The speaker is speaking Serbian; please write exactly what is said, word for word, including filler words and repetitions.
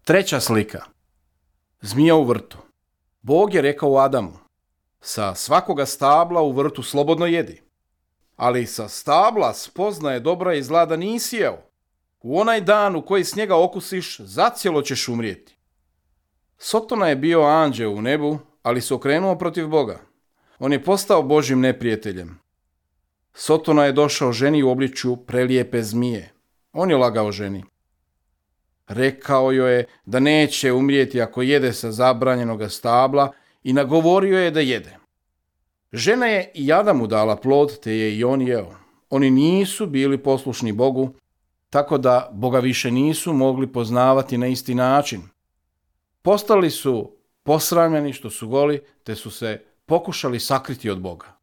Treća slika. Zmija u vrtu. Bog je rekao Adamu: sa svakoga stabla u vrtu slobodno jedi, ali sa stabla spoznaje dobra i zla da nisi jeo. U onaj dan u koji s njega okusiš, zacijelo ćeš umrijeti. Sotona je bio anđeo u nebu, ali se okrenuo protiv Boga. On je postao Božjim neprijateljem. Sotona je došao ženi u obličju prelijepe zmije. On je lagao ženi. Rekao joj je da neće umrijeti ako jede sa zabranjenoga stabla i nagovorio je da jede. Žena je i Adamu dala plod, te je i on jeo. Oni nisu bili poslušni Bogu, tako da Boga više nisu mogli poznavati na isti način. Postali su posramljeni što su goli, te su se pokušali sakriti od Boga.